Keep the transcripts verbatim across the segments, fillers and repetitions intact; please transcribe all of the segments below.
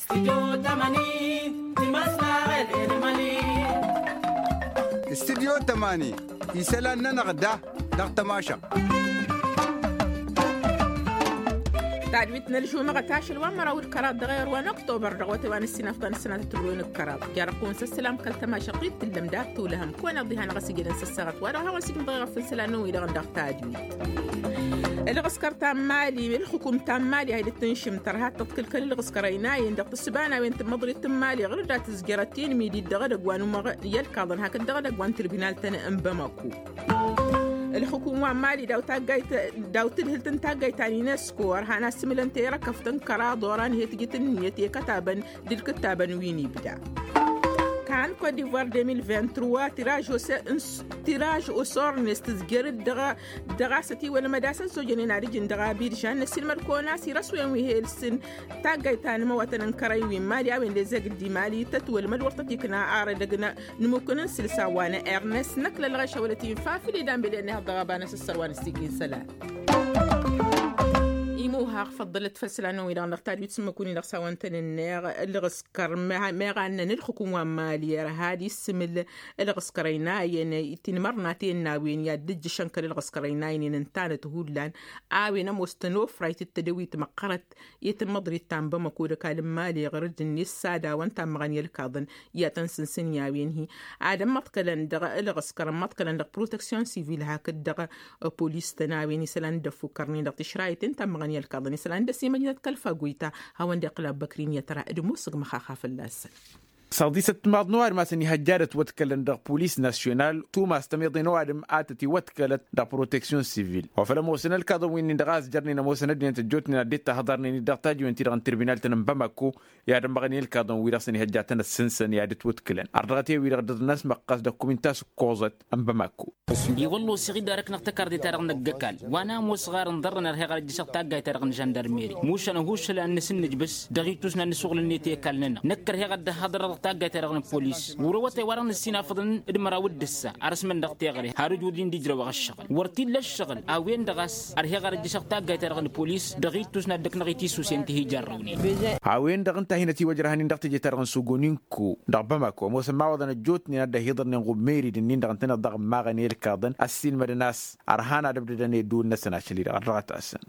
Studyo tămani isălan-nănăɣ da dăɣ-tămašăɣt. Tadwit n-ălžumăɣăt ašăl wa n-măraw d-kăraḍ dăɣ-ewăr wa n-oktober dăɣ-wătay wa n-ǝssinafḍan ǝssănatăt ǝlwen d-kăraḍ. Jarăɣ-kăwăn s-ăssălam kăl-tămašăɣt-i d-tǝllăm dat-tolăhăm kăwăn-iḍihan ɣas ijădăn s-ăssaɣăt wa dăɣ-hawăn s-ijmăḍ ɣef n-isălan n-wi-dăɣ n-dăɣ tadwit. Ălɣǝskăr ta n-mali ălxukum ta n-mali a hi-dd-tǝnšǝm tărha tăḍkǝlkăl ălɣǝskăr ăynayăn dăɣ-tǝssǝba n-a-wen tǝmmăḍrit n-mali ɣur-dd a tǝzjărăt i-inmidi d-dăɣ-edăgg wa n-umăɣ i-ălkaḍăn hakd dăɣ-edăgg wa n-tirbinal-tăn n-bamako. Ălxukum wa n-mali daw-taggayt daw-tǝdhǝlt n-taggayt ta n-unesco ărhan asǝmǝlăn terăkăft n-kăraḍ oran he-tǝjǝt ǝnniyăt i-kătabăn d-ǝlkǝttabăn wi n-ibda. Kan kot d'ivoire deux mille vingt-trois tiraj osornes tǝzjăr-dd dăɣ-a s-ătiwălmăd a-s ăzzojănen ad-ǝjǝn dăɣ-abirjan n-ăsilmăd-kăwăn a-s irăswen wi he-ǝlsǝn taggayt ta n-imawătăn n-kărăy wi n-mali a-wen d-ezeg d-imali tătwălmăd wăr tăt-ikna ar edăgg n-imukǝn n-sǝlsa wa n-ernest n-ăklălɣeš a wălăt-in fafǝl i-danbelăn ihăḍ dăɣ-aba n-asǝssăr wa n-ăssigin isălan. Imuha făḍḍălăt făll-isălan-năwăn-wi-dăɣ n-dăɣ tadwit s-ǝmmǝk-win-dăɣ s-hawăn-tăn-ǝnneɣ ălɣǝskăr meɣ annăn ǝlxǝkǝm wa n-mali ărha ad-issǝmǝl ălɣǝskăr ăynayăn ti n-imărnaten n-a-wen i-ad-dd-ǝjjǝšăn kăl-ălɣǝskăr ăynayăn i-inǝntanăt hullan a-wen ămoos tănofrayt d-tedăwit măqqărăt i-tǝmmăḍrit ta n-bamăko d-ăkall n-mali ɣur-dd-net s-ad-awăn tammăɣăn i-ălkaḍăn i-ad-tăn-sǝnsǝn i-a-wen-hi. Ad-ămmăḍkălăn dăɣ-ălɣǝskăr ămmăḍkălăn dăɣ-proteksyon sivil hakd-dăɣ polis-tăn a-wen isălan dd-ăffukkărnen dăɣ-tišrayăten tammăɣăn i-ălkaḍăn isălan dd-ăsimăjnăt kăl-faguyta. Hawăn-dd-iqqǝl abbăkri n-i-ătra d-musǝg măxaxa fălla-săn. Săɣdisăt timaḍ n-ăwadǝm a-s ăniihăjja ad-ătwăḍkălăn dăɣ-polis nasyonal tumas tămiḍe n-ăwadǝm a tăt-iwăḍkălăt dăɣ-proteksyon sivil wa făl ămoosăn ălkaḍăn wi-nin-dăɣ a ăzjărnen ămoosăn ăddinăt ăjjootnen ad-dd-tahǝḍărnen-dd dăɣ-tajǝwen-ti-dăɣ n-tirbinal-tăn n-bamako. I-ad-ămmăɣnen ălkaḍăn-wi-dăɣ s-ăniihăjja ad-tăn-ăssǝnsăn i-ad-ătwăḍkălăn ardăɣăt i-wi-dăɣ dd-năsmăqqas dăɣ-kumin ta s-ǝkkoẓăt n-bamako. I-wălla osăɣ-dd arăknăɣ tăkarḍe-ta-dăɣ n-ăggăkall wa n-ămoosăɣ ar ǝnḍărrăn ărheɣ ad-ăjjăšăɣ taggayt-ta-dăɣ n-žăndărmeri mušan ăhuššăl ad-nǝsǝnnǝj băs dăɣ-itus n-ad-nǝsuɣǝl-net i-ăkall-nănăɣ năkk ărheɣ ad-dd-ăhhăḍărăɣ dăɣ-taggayt-ta-dăɣ n-ăppolis. Wăr-awătay wa dăɣ-nǝssinafăḍăn d-măraw d-ǝssa arăsmăn dăɣ-teɣăre har ǝjwǝd-in d-ijrăwăɣ ăššăɣǝl wăr t-illa ăššăɣǝl. A-wen-dăɣ a-s ărheɣ ad-ăjjăšăɣ taggayt-ta-dăɣ n-ăppolis dăɣ-itus n-ad-dd-ăknăɣ i-tisusen ti hi-jarrăwnen. A-wen-dăɣ ǝnta a hin-ătiwăjrăhăn-in dăɣ-teje-ta-dăɣ n-sogoninko dăɣ-bamako ămoosăn imawăḍăn ăjjootnen ad-dd-ăhiḍărnen ɣummeri d-ǝnnin-dăɣ ǝntăneḍ daɣ ǝmmaɣăn i-ălkaḍăn ăssiilmădăn a-s ărhan ad-ăbdădăn i-ădduul-năsăn ašăl-i-dăɣ ărrăɣăt-asăn.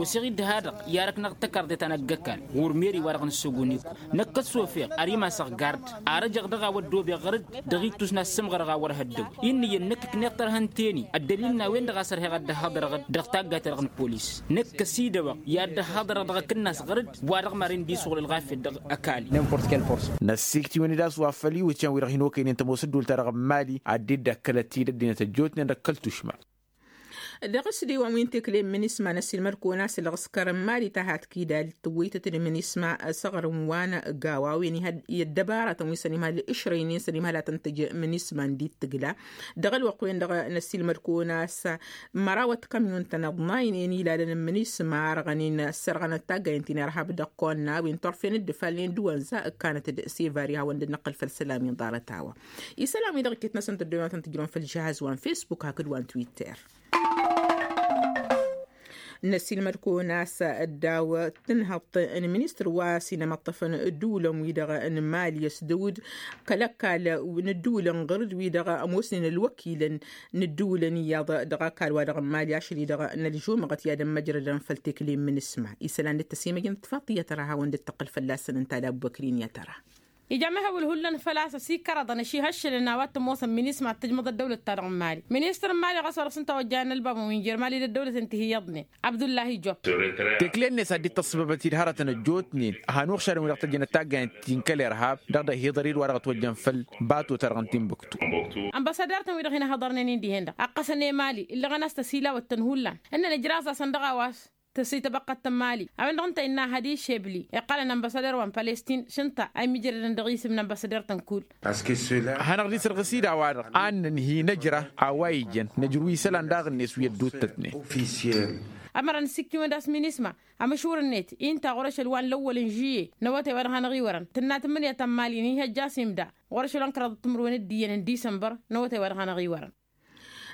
Oseɣ-dd ha-dăɣ i-arăknăɣ tăkarḍe ta n-ăgg-ăkall ɣur-meri-wa-dăɣ n-sogoniko năkk ăssofeɣ ărimasăɣ gard arăjăɣ dăɣ-a-wa ăddoobeɣ ɣăr-dd dăɣ-ittus n-ad-sǝmɣărăɣ a wăr hăddăw. Inn'-iyyăn năkk ǝkneɣ tărhăn teni ăddălil n-a-wen-dăɣ a-s ărheɣ ad-dd-ăhhăḍărăɣ-dd dăɣ-taggayt-ta-dăɣ n-polis năkk ăsidăwăɣ i-ad-dd-ăhhăḍărăɣ dăɣ-akǝnnas ɣăr-dd wa-dăɣ maren d-isuɣǝl ălɣafyăt dăɣ-ăkall-i. Năssikt'-iwăn-dd a-s wa făl iwǝtyan-wi-dăɣ hin-okăynen tămoos ădduul-ta-dăɣ n-mali ad-dd-ăkkălăt-dd ăddinăt ăjjootnen dăɣ-kăl-tušma. Dăɣ-s d-iwăn wi n-tekle n-minisma n-ăsilmăd-kăwăn a-s ălɣǝskăr n-mali ta hat-kidal tǝwwăytăt d-minisma săɣrǝm wa n-gawa a-wen ihăl i-ăddăbaratăn wi s-ănimhal ǝšrăynen s-ănimhal a tăn-tăj minisma n-dd-tǝgla. Dăɣ-ălwăqq-wen-dăɣ n-ăsilmăd-kăwăn a-s măraw ătkamyun-tăn ăḍnaynen ilalăn n-minisma ărɣănen ăssărɣănăt taggayen ti n-irhab dăɣ-kăwăn n-a-wen turfen dd-ǝfalnen d-wănza ǝkkanăt d-sevari hawăn-dd-năqqǝl făll-isălan wi n-ḍarăt a-wa. Isălan-wi-dăɣ iket-năsăn tăddoyăn wa tăn-tǝjrăwăn făll-žihaz wa n-fesbuk hakd wa n-twitter. N-ăsilmăd-kăwăn a-s ăddaw tǝnhăḍt n-ministăr wa s-inămăṭṭăfăn ǝddǝwǝlăn-wi-dăɣ n-mali ăsdăwǝd kăl-ăkall n-ǝddǝwǝlăn ɣăr-dd wi-dăɣ ămoosnen ălwăkilăn n-ǝddǝwǝlăn iyyăḍ dăɣ-ăkall-wa-dăɣ n-mali ašăl-i-dăɣ n-ălžumăɣăt i-ad-ămmăjrădăn făll-tekle n-minisma. Isălan dd-tăsimăjnăt tifaḍt tiyyăt ăra hawăn-dd-tăqqǝl fălla-săn ǝnta d-abbăkri n-iyyăt ăra. Ija mehăwǝl hullan făl-a-s ăsikărăḍăn ăšihăššălăn a-wa t-ămoosăn minisma ad-tǝjmăḍ ăddăwlăt-ta-dăɣ n-mali. Ministăr n-mali ɣas wa dăɣ-s ǝnta a ojjayăn ălbabăn wi n-jer-mali d-ăddăwlăten ti hi-iyyăḍnen abdullahi job. Tekle-net a dd-tăṣṣăbăbăt-dd hărătăn ăjjootnen. Hanăɣ-šadăn wi dăɣ-tăjjănăt taggayăn ti n-kăl-irhab dăɣ-dd-ăhiḍăr-dd wa dăɣ-ătwăjjăn făll-bato-ta-dăɣ n-timbuktu. Ănbăsăder-tăn wi-dăɣ hin-ăhhăḍărnen-in dihen-dăɣ ăqqăsăn i-mali ǝllăɣăn a-s tăsilawăt-tăn hullan. Ǝnnăn ǝjraẓ-asăn dăɣ-a-wa s-tăsităbăqqăt n-mali a-wen-dăɣ ǝnta innă hadi šebli iqqălăn ănbăsăder wa n-palestin šǝnta a immijrădăn dăɣ-isǝm n-ănbăsăder-tăn kull. Hanăɣ-dd-isărɣǝs-dd a-wa-dăɣ ad-nǝnhǝy nǝjra a-wa ijăn nǝjrǝw isălan daɣ-net wi ădduuttătnen. Ămăra n-ǝssikkiwăn d-a-s minisma amǝšwǝr-net inta ɣur-ašăl wa n-lăwwăl n-žuye n-awătay wa dăɣ-hanăɣ-iwărăn tǝnna tǝmmǝnǝya ta n-mali n-ihăjja a-s imda ɣur-ašăl wa n-kăraḍăt timǝrwen d-iyyăn n-disănbăr n-awătay wa dăɣ-hanăɣ-iwărăn.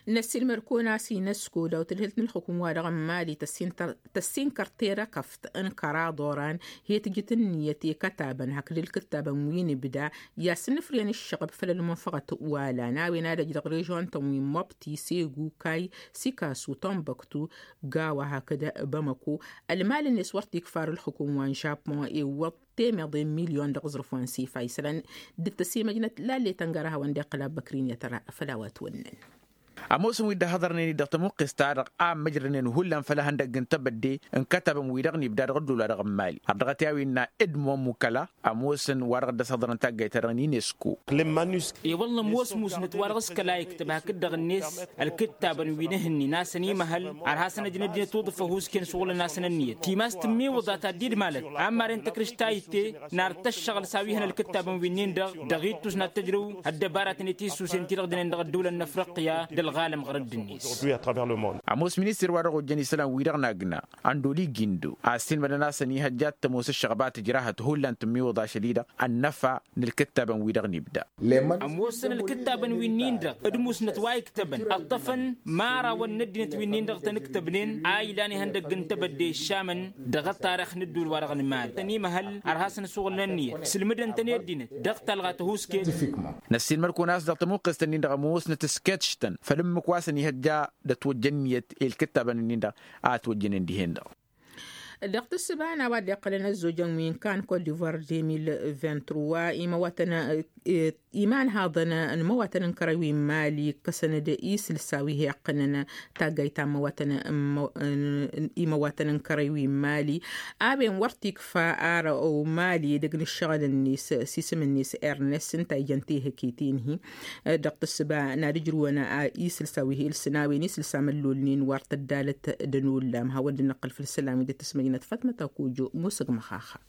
Năssiilmăr-kăwăn a-s inăsko daw-tǝdhǝlt n-ǝlxǝkǝm-wa-dăɣ n-mali. Tăssinkăr terăkăft n-kăraḍ oran hi-tǝjǝt ǝnniyăt i-kătabăn hakd ǝlkǝttabăn wi n-ibda i-ad-sǝnnǝfrǝyăn ǝššăɣb făll-ălmunfăɣăt wa lan a-wen ad-ăj dăɣ-režon-tăn wi n-mobti segu kay sikasu tănbăktu gawa hakd bamăko. Ălmal-net wăr t-ikfar ǝlxǝkǝm wa n-žapun iwwăḍ temeḍe n-milyon dăɣ-aẓrǝf wa n-sifa isălan d-tăsimăjnăt lallet ăngărăhăwăn d-iqqăl abbăkrin i-ad-tăra făll-a-wa ătwănnăn. Ămoosăn wi dd-ăhhăḍărnen-dd dăɣ-tămuqqes-ta-dăɣ a ămmăjrănen hullan făll-ihăndăgg n-tebădde n-kătabăn-wi-dăɣ n-ibda dăɣ-ăddola-dăɣ n-mali har dăɣ-t i-a-wen innă edmond mukăla. Ămoosăn wa dăɣ-dd-ăshăḍărăn taggayt-ta-dăɣ n-inesku. I-wălla ămoos musnăt wa dăɣ-s kăla iktăb hakd-dăɣ-net ălkǝttabăn wi n-ehǝnnin a-s ănimăhăl har hasăn-ăj n-ăddinăt uḍǝf ăhuusken šuɣǝlăn-asăn ǝnniyăt timas tǝmmiwǝḍa ta dd-malăt. Ammaren tăkrǝš ta itte nar tăššăɣǝl s-a-wi hăn ălkǝttabăn wi-nin-dăɣ dăɣ-ittus n-ad-tăjrǝw ăddăbaratăn i-tisusen ti-dăɣ dănen dăɣ-ăddăwlăn n-afriqya d-ălɣalăm ɣărădd-net. Ămoos ministăr wa dăɣ-ojjăn isălan-wi-dăɣ n-agna ăndoli gindo a ăssiilmădăn a-s ănihăjja ad-tămoos ǝššăɣba tǝjrahăt hullan tǝmmiwǝḍ ašăl-i-dăɣ ănnăfa n-ǝlkǝttabăn-wi-dăɣ n-ibda. Ămoosăn ǝlkǝttabăn wi-nin-dăɣ d-musnăt wa iktăbăn ǝṭṭăfăn imărawăn n-ăddinăt wi-nin-dăɣ tăn-ǝktăbnen a ilan ihăndăgg n-tebădde išamăn dăɣ-ăṭṭarix n-ădduul-wa-dăɣ n-mali tăn-imăhăl ărhasăn asuɣǝl n-ǝnniyăt sǝlmǝdăn-tăn i-ăddinăt dăɣ-talɣa tăhuusket. Năssiilmăr-kăwăn a-s dăɣ-tămuqqest-nin-dăɣ ămoosnăt s-kăt ǝštăn făll-ǝmmǝk wa s-ănihăjja d-ătwăjja ǝnniyăt i-ǝlkǝttabăn-nin-dăɣ a ătwăjjănen dihen-dăɣ. Dăɣ-tǝssǝba n-a-wa dd-iqqălăn ăzzojăn wi n-kan kot divoir deux mille vingt-trois imăwatăn imanhaḍăn n-imăwatăn n-kărăy wi n-mali ǝkkăsăn-dd isǝlsa wi hi-iqqǝnăn taggayt ta n-imăwatăn n-kărăy wi n-mali. A-wen wăr t-ikfa ar mali edăgg n-ǝššăɣǝl-net s-isǝm-net ernest ǝnta a ijăn tehǝket-in-hi. Dăɣ-tǝssǝba n-ad-ǝjrǝwăn isǝlsa wi hi-ilsǝn a-wen isǝlsa măllolnen wăr tăddalăt d-ănullam hawăn-dd-năqqǝl făll-isălan wi dd-tǝsmăjnăt fatmăt akujju musǝg măxaxa.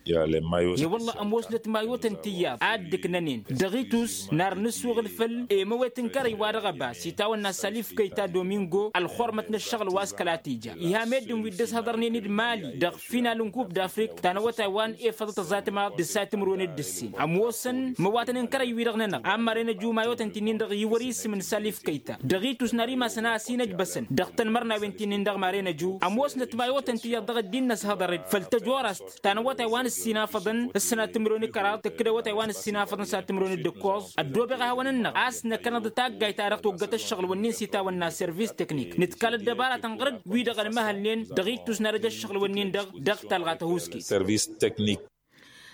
I-wălla ămoosnăt mayotăn tiyyăḍ a dd-ǝknănen dăɣ-itus nar nǝssuɣǝl făll-emăwet n-kărăy wa dăɣ-ăba s-itawănna salif kăyta domingo ălxormăt n-ăššăɣǝl wa s-kăla t-ija. Iha meddǝn wi dd-ăshăḍărnen d-mali dăɣ-final n-kup d-afrik ta n-awătay wa n-efăḍăt ăẓatmaḍ d-ǝssay timǝrwen d-ǝssin ămoosăn măwatăn n-kărăy-wi-dăɣ-nănăɣ a ămmărăn ăju mayotăn ti-nin-dăɣ iwăr isǝm n-salif kăyta dăɣ-itus n-ar imasăn a ăsinăjbăsăn dăɣ-tănmărnawen ti-nin-dăɣ maren ăju ămoosnăt mayotăn ti iyyăḍ dăɣ-ăddin n-ăshăḍăr-dd făll-tăjorast ta n-awătay wa n-ǝssin afăḍăn ǝssănat timǝrwen kăraḍ tǝkkǝd awătay wa n-ǝssin afăḍăn s-ad-timǝrwen d-ǝkkoẓ. Ăddoobeɣ a hawăn-ǝnnăɣ a-s năkkănăḍ taggayt-ta-dăɣ toggăt ăššăɣǝl-wǝnnin s-itawănna service teknik nǝtkal ăddăbaratăn ɣăr-dd wi-dăɣ ănmăhălnen dăɣ-ittus n-ad-ăj ăššăɣǝl-wǝnnin-dăɣ dăɣ-talɣa tăhuusket.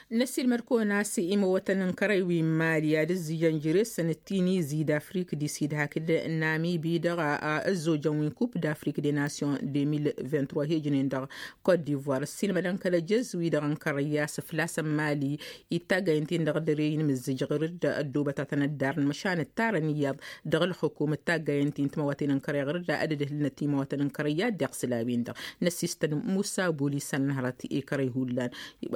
Năssiilmăd-kăwăn a-s imăwătăn n-kărăy wi n-mali ad-ǝzzijăn jere-săn d-tinizi d-afrik di sid hakd n-namibi dăɣ-ăzzojăn wi n-kup d-afrik de nation deux mille vingt-trois hi-ǝjnen dăɣ-kot divoir ăssiilmădăn kăl-ăjăz-wi-dăɣ n-kărăy a-s fălla-săn mali ittaggayen ti-dăɣ dăr-e inmǝzzǝj ɣǝr-dd ăddoobăt a tăn-ăddarăn măšan ǝttarăn iyyăḍ dăɣ-ǝlxǝkum d-taggayen ti n-timăwăten n-kărăy ɣǝr-dd a dd-ǝdhǝlnăt imăwăten n-kărăy i-ad-dd-iɣsǝl a-wen-dăɣ. Năssistăn musa buli s-ănnăhrăt i-kărăy hullan.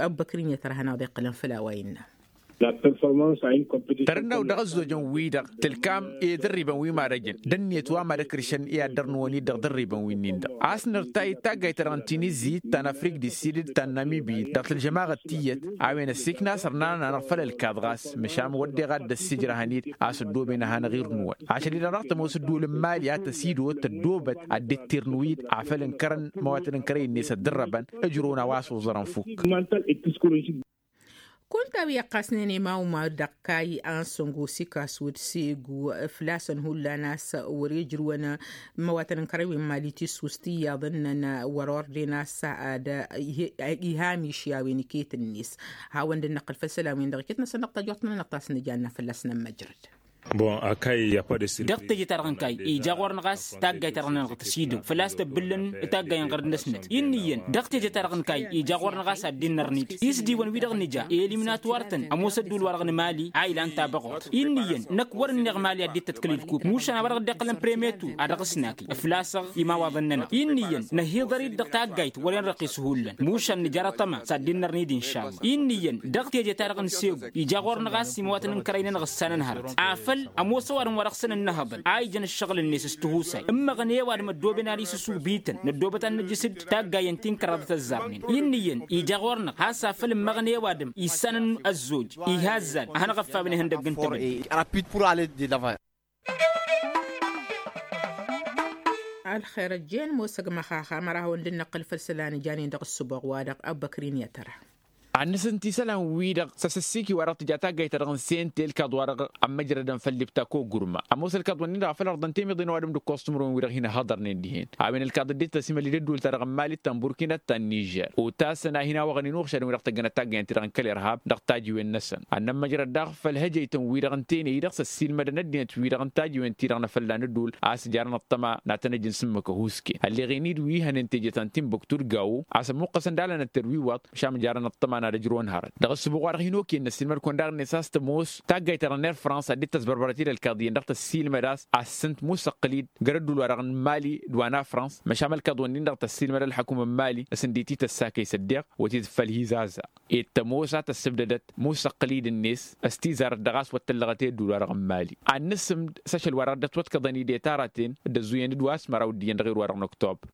Abbăkrin i-ad-tărhănăɣ d-iqqălăn făll-a-wa innă. Tărănnaw dăɣ-ăzzojăn-wi-dăɣ tǝlkam i-dărribăn wi marăjăn d-ǝnniyăt wa mad-ăkrǝšăn i-ad-dăr-nǝwăn-dd dăɣ-dărribăn wi-nin-dăɣ a-s nărtay taggayt-ta-dăɣ n-tinizit ta n-afrik di sid d-ta n-namibi dăɣ-tǝlžămaɣăt tiyyăt a-wen ăssiikna sărnan anăɣ-făll-ălkaḍ ɣas măšan wădden ad-dd-ăssijrăhăn-dd a-s ăddooben ad-hanăɣ-irnǝwăn ašăl-i-dăɣ dăɣ-tămoos ǝddǝwǝl n-mali a tăsidăwăt tăddoobăt ad-dd-tirnǝw-dd afăl ǝnkărăn măwatăn n-kărăy-net ăddărrăbăn ǝjrăwăn a-wa s-oẓărăn fukk. Kunta wi ăqqasnen i-mawma dăɣ-kayy ansăngo s-ikasud s-egu făl-a-s ănhullan a-s wăr-ijrǝwăn măwatăn n-kărăy wi n-mali tissus tiyyăḍ ǝnnăn wăr-ordena s-ad-iha miši a-wen iket-net. Hawăn-dd-năqqǝl făll-isălan-win-dăɣ iket-năsăn dăɣ-tajort-nănăɣ ta s-nǝjanna fălla-s nămmăjrăd. Dăɣ-teje-ta-dăɣ n-kayy ija ɣur-năɣ a-s taggayt-ta-dăɣ-nănăɣ tăsidăw făl-a-s tăbbǝllăn taggay n-ɣărd-năsnăt inn'-iyyăn dăɣ-teje-ta-dăɣ n-kayy ija ɣur-năɣ a-s ad-dd-innărnid isdiwăn-wi-dăɣ nǝja eliminat wăr-tăn ămoos ădduul-wa-dăɣ n-mali a ilan tabăɣurt inn'-iyyăn năkk wăr-ǝnniɣ mali ad-dd-tătkǝl ilkub mušan a-wa dăɣ-dd-iqqălăn premetu a dăɣ-s nakǝy ǝflasăɣ imawaḍăn-nănăɣ inn'-iyyăn năhiḍăr-dd dăɣ-taggayt wăren răqqis hullan mušan nǝjar aṭăma s-ad-dd-innărnid inšalla inn'-iyyăn dăɣ-teje-ta-dăɣ n-segu ija ɣur-năɣ a-s imawatăn n-kărăy-nănăɣ ǝssanăn hărăt afăl ămoos ăwadǝm wa dăɣ-săn ǝnnăhăḍăn a ijăn ǝššăɣǝl-net s-tihusay ǝmmăɣăn i-ăwadǝm ăddooben ad-isǝsubităn năddoobăt ad-nǝjjǝs-dd taggayen ti n-kăraḍăt ăzzarnen inn'-iyyăn ija ɣur-năɣ has-afăl ǝmmăɣăn i-ăwadǝm issanăn ăzzoj iha ăzzan a hanăɣ-ăffawen ihăndăgg n-tebădde. ălxer ăjjeen mosăg măxaxa măra hawăn-dd-năqqǝl făll-isălan ijanen dăɣ-ǝssǝboɣ-wa-dăɣ. Abbăkrin i-ad-tăra. Ad-nǝsǝnti isălan-wi-dăɣ s-asǝssiki-wa-dăɣ tǝja taggayt-ta-dăɣ n-sente ǝlkaḍ-wa-dăɣ ămmăjrădăn făll-ibtako gurma ămoos ălkaḍ-wǝnnin-dăɣ a făl ăɣḍăn temăḍe n-ăwadǝm d-ǝkkoẓ timǝrwen-wi-dăɣ hin-ăhhăḍărnen dihen a-wen ălkaḍ ăddinăt tăsimălli d-ădduul-ta-dăɣ n-mali d-tanburkina d-ta n-nižer. Otasăn a hin-awăɣăn inuɣšadăn-wi-dăɣ tăggănăt taggayăn-ti-dăɣ n-kăl-irhab dăɣ-tajiwen-năsăn ad-nămmăjrăd daɣ făll-hăjăytăn-wi-dăɣ n-tenăy-i-dăɣ s-ăssiilmădăn ăddinăt-wi-dăɣ n-tajiwen-ti-dăɣ n-afălla n-ădduul a-s jarăn ăṭṭăma n-ad-tăn-ăj n-sǝmmǝk ăhuusken ălleɣen-dd wi hănen teje ta n-tinbuktu d-gawo a-s ămmuqqăsăn d-alănăt terwiwaḍ. Măšan măjarăn ăṭṭăma n-ad-ăjrăwăn hărăt dăɣ-ăssǝbuɣ-wa-dăɣ hin-okăyăn n-ăssiilmăd-kăwăn daɣ-net a-s tămoos taggayt-ta-dăɣ n-air frans ad-dd-tăsbărbărăt-dd ălkaḍ iyyăn dăɣ-tăssiilmăd a-s ad-sǝnt musăqqǝl-dd găr-ădduul-wa-dăɣ n-mali d-wa n-afrans. Măšan ălkaḍ-wǝnnin-dăɣ tăssiilmăd ălḥăkum n-mali s-ǝndit-i tăssakăy s-ăddeɣ wăt-dd-făl hizaza. Ed tămoos a tăssǝbdădăt musăqqǝl-dd-net s-tizarăt dăɣ-a-s wăr tăllăɣăt i-ădduul-wa-dăɣ n-mali. Ad-nǝsǝmd s-ašăl-wa-dăɣ dd-ătwăḍkăḍăn-dd i-taraten d-ăzzuyyăn d-wa s-măraw d-iyyăn dăɣ-erwa-dăɣ n-oktobăr.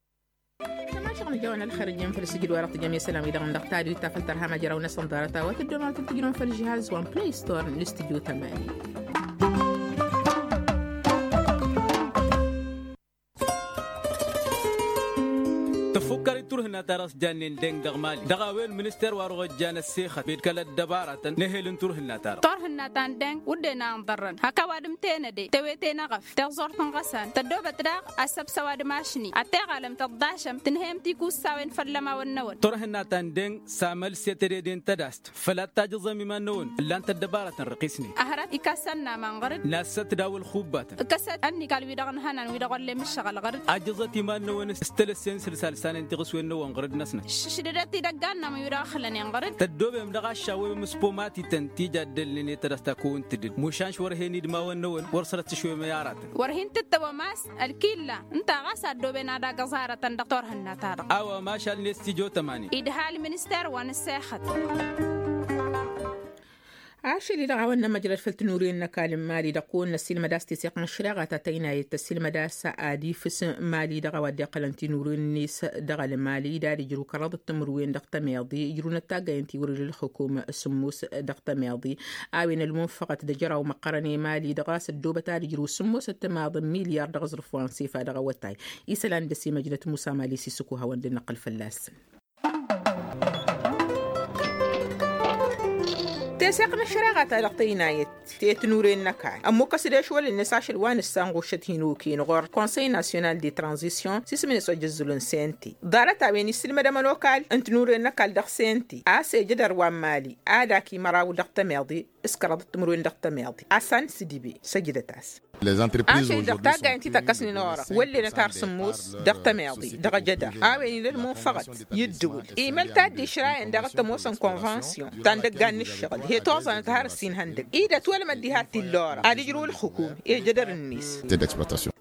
Tămašăɣ n-ijawăn ălxer ǝjjǝn făll-sǝjǝd-wa-dăɣ tǝjăm i-isălan-wi-dăɣ n-dăɣ tadwit ta făl tărha măjraw-năsăn ḍarăt a-wa tǝddǝmăɣ tǝjrǝwăn făll-žihaz wa n-play store n-listudyo tămani. Tăfukkăr-dd turhǝnna-ta-dăɣ s-jannen deng dăɣ-mali dăɣ-a-wen minister wa dăɣ-ojjan ăssexăt bed kăl-ăddăbaratăn n-ehel n-turhǝnna-ta-dăɣ. Turhǝnna ta n-deng wǝdden a ǝnḍărrăn hak ăwadǝm tenăde tewete n-eɣăf tiẓẓurt n-iɣăsan tăddoobăt daɣ ăssăbs ăwadǝm ašni ad-teɣalăm tăḍḍašăm tǝnhăyăm tikussawen făll-ămawăn-năwăn. Turhǝnna ta n-deng s-amăl s-e tedede n-tădast făl ad-tajǝẓăm iman-năwăn ǝllan-t ăddăbaratăn răqisnen. Ăhrăt ikassan n-aman ɣăr-dd nassăt daw-ălxubbatăn ǝkkăsăt ănnikal-wi-dăɣ ǝnhănan wi-dăɣ wăllen mǝššăɣăl ɣăr-dd. Ajǝẓăt iman-năwăn s-tălăssen sǝlsa lǝsanen tiɣǝswen-năwăn ɣăr-dd-năsnăt. Šǝšdădăt idăggan-năwăn wi-dăɣ ăxlănen ɣăr-dd. Tăddoobem dăɣ-aššawem s-pomatităn ti jaddălnen i-tădăsta kăwăn-tǝdǝd mušan š-wăr hen-idmawăn-năwăn wăr sărăt s-išwem i-aratăn. Wăr hin-tǝttăwăm a-s ălkilla ǝnta ɣas a ăddooben ad-agǝẓ aratăn dăɣ-turhǝnna-ta-dăɣ. A-wa mašal n-estijyo tămani. Idhal minister wa n-ǝssexăt. Ašăl-i-dăɣ a-wa n-nămăjrăd făll-tinuren n-ăkall n-mali dăɣ-kăwăn-năsilmăd a-s teseɣt n-ăššăreɣa ta tăynayăt tăsilmăd a-s ad-ifǝs mali dăɣ-a-wa dd-iqqălăn tinuren-net dăɣ-ălmali d-ad-ijru kăraḍăt timǝrwen dăɣ-tămeḍi ijrunăt taggayăn tiwrǝd ǝlxǝkum sǝmmos dăɣ-tămeḍi. A-wen ălmunfăɣăt d-ajăraw măqqărăn i-mali dăɣ-a-s ăddoobăt ad-ijru sǝmmosăt timaḍ n-milyar dăɣ-aẓrǝf wa n-sefa dăɣ-awătay. Isălan d-ăsimăjnăt musa mali s-isǝkuhawăn d-inăqqǝl fălla-săn. Teseɣt n-ăššăreɣa-ta-dăɣ tăynayăt tetnuren n-ăkall ămmukkăs-dd ešwăl-net ašăl wa n-ǝssanɣušăt hin-okăyăn ɣur-konsăy nasyonal de tranzisyon s-isǝm-net ojăzzul n-sente. Ḍarăt-a-wen issǝlmădăm ănokal n-tinuren n-ăkall dăɣ-sente a-s ejădăr wa n-mali ad-ak imăraw dăɣ-tămeḍe s-kăraḍăt timǝrwen dăɣ-tămeḍe. Asan s-dibe săjdăt-as. Ašăl-i-dăɣ taggayăn ti tăkkăsnen orăɣ wăllenăt har sǝmmos dăɣ-tămeḍe dăɣ-ejădăr a-wen ila ălmunfăɣăt i-ǝddǝwǝl imăl ta dd-išrayăn daɣ t-ămoosăn konvansyon ta n-idăggan n-ǝššăɣǝl he-toẓănăt har ǝssin ihăndăg-i d-ătwălmăd diha t-illa orăɣ ad-ǝjrǝw ǝlxǝkum i-ejădăr-net.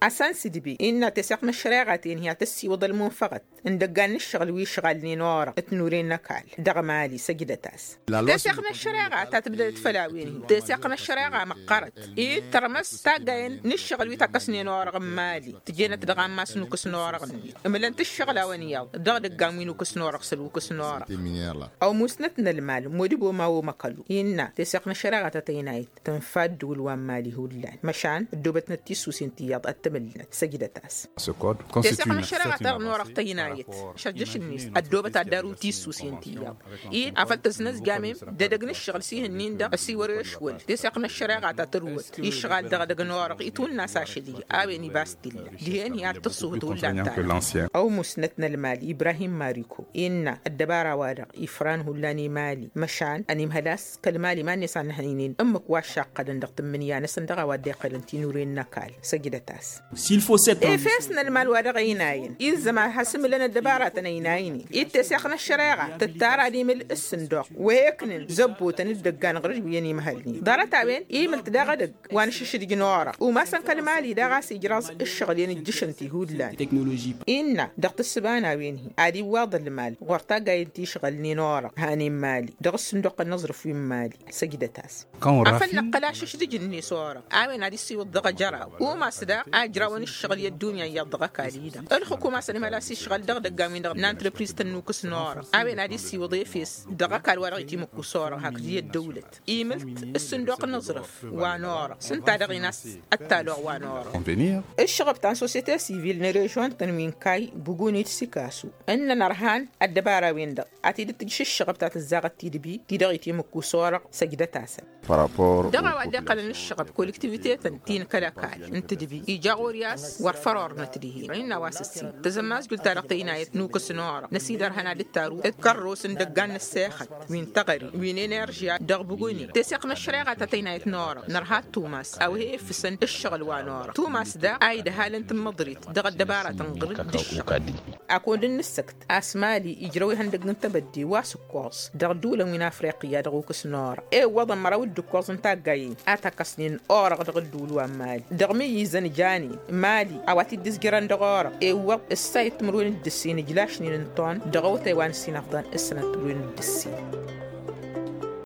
Asan s-idbe innă teseɣt n-ăššăreɣa-ten hi-ad-tăssiwǝḍ ălmunfăɣăt n-idăggan n-ǝššăɣǝl wi ǝšɣalnen orăɣ ǝtnuren n-ăkall dăɣ-mali săjdăt-as. Teseɣt n-ăššăreɣa ta tǝbdădăt făll-a-wen-hi teseɣt n-ăššăreɣa măqqărăt i-tărmăs taggayăn n-ǝššăɣǝl wi tăkkăsnen orăɣ n-mali tǝjenăt dăɣ-ammas n-ukǝs n-orăɣ-net ǝmlăn-t ǝššăɣǝl a-wen iyyăḍ dăɣ-idăggan wi n-ukǝs n-orăɣ s-ălwukǝs n-orăɣ. Ăwmusnăt n-ălmal modibo ma omăkălu innă teseɣt n-ăššăreɣa ta tăynayăt tǝnfa ăddǝwǝl wa n-mali hullan măšan ăddoobătnăt tissusen ti iyyăḍ ad-tǝmǝlnăt săjdăt-as. Teseɣt n-ăššăreɣa ta dăɣ-norăɣ tăynayăt šăjjăš-net ăddoobăt ad-daru tissusen ti iyyăḍ id afăl tăznăzjamem d-edăgg n-ǝššăɣǝl s-ihǝnnin-dăɣ ăsiwăr ešwăl teseɣt n-ăššăreɣa ta tărwăt išɣal dăɣ-edăgg n-orăɣ itwǝnna s-ašăl-i. A-wen ibas t-illa dihen i-ad-tǝṣṣuhǝt hullan ta-dăɣ. Ăwmusnăt n-ălmal ibrahim mariko innă ăddăbara-wa-dăɣ ifran hullan i-mali măšan ănimhăl a-s kăl-mali iman-net a n-ăhăynen ǝmmǝk wa ăššaqqădăn dăɣ-tǝmmǝnǝya-năsăn dăɣ-a-wa dd-iqqălăn tinuren n-ăkall săjdăt-as. Efes n-ălmal wa dăɣ-ăynayăn ilzăm ad-has-ǝmǝlăn ăddăbaratăn ăynaynen-i d-teseɣt n-ăššăreɣa tǝttar ad-imǝl ǝssǝnduɣ wa eknǝn zăbbotăn d-idăggan ɣur-dd wi ănimhălnen ḍarăt-a-wen imǝl-t daɣ edăgg wa n-ašǝšdǝj n-orăɣ umasăn kăl-mali daɣ a-s ijraẓ ǝššăɣǝl i-ănijjǝšăn tihullan. Innă dăɣ-tǝssǝba n-a-wen-hi ad-iwwaḍ ălmal ɣur-taggayăn ti ǝšɣălnen orăɣ hanen mali dăɣ-ǝssǝnduɣ n-aẓrǝf wi n-mali săjdăt-as. Afăl năqqǝl ašǝšdǝj-net orăɣ a-wen ad-issiwǝḍ dăɣ-ajăraw umas daɣ a ǝjrawăn ǝššăɣǝl i-ăddunya iyyăḍ dăɣ-ăkall-i-dăɣ ălxǝkum a-s ănimhăl a-s išɣăl dăɣ-idăggan-win-dăɣ n-antrăpriz tănnukǝs n-orăɣ a-wen ad-issiwǝḍ efes dăɣ-ăkall wa dăɣ-itimǝkkus orăɣ hakd i-ăddăwlăt imǝlt ǝssǝnduq n-aẓrǝf wa n-orăɣ s-ǝnta-dăɣ-in a-s Taloɣ wa n-orăɣ. Ǝššăɣăb ta n-sosyete sivil n-režion-tăn wi n-kayy buguni d-sikasu ǝnnăn ărhan ăddăbara-wen-dăɣ a t-dd-tǝjǝš ǝššăɣăb ta tǝzzaɣăt tidǝbi ti dăɣ-itimǝkku s-orăɣ săjdăt-asăn. Dăɣ-a-wa dd-iqqălăn ǝššăɣăb kolektivitetăn ti n-kăl-ăkall n-tǝdǝbi ija ɣur-i a-s wăr făr ornăt dihen innă a-wa s-ǝssin tăzămmazjul-ta-dăɣ tăynayăt n-ukǝs n-orăɣ n-ăsidărhăn ad-dd-taru d-kărros n-idăggan n-ăssexăt wi n-teɣăre wi n-eneržya dăɣ-buguni teseɣt n-ăššăreɣa ta tăynayăt n-orăɣ nărha tumas a-wa he-iffǝsăn ǝššăɣǝl wa n-orăɣ tumas daɣ a idhal n-tǝmmăḍrit dăɣ-ăddăbara tǝnɣǝl d-ǝššăɣǝl. Akund n-nǝssăkt a-s mali ijrăw ihăndăgg n-tebădde wa s-ǝkkoẓ dăɣ-ǝddǝwǝlăn wi n-afriqya dăɣ-ukǝs n-orăɣ ewwăḍăn măraw d-ǝkkoẓ n-taggayen a takăsnen orăɣ dăɣ-ǝddǝwǝl wa n-mali dăɣ-imǝyyǝzăn janen mali a-wa t-dd-ǝzjărăn dăɣ-orăɣ ewwăḍ ǝssayăt timǝrwen d-ǝssin ǝjlašnen n-ton dăɣ-awătay wa n-ǝssin ăfḍăn s-sănăt timǝrwen d-ǝssin.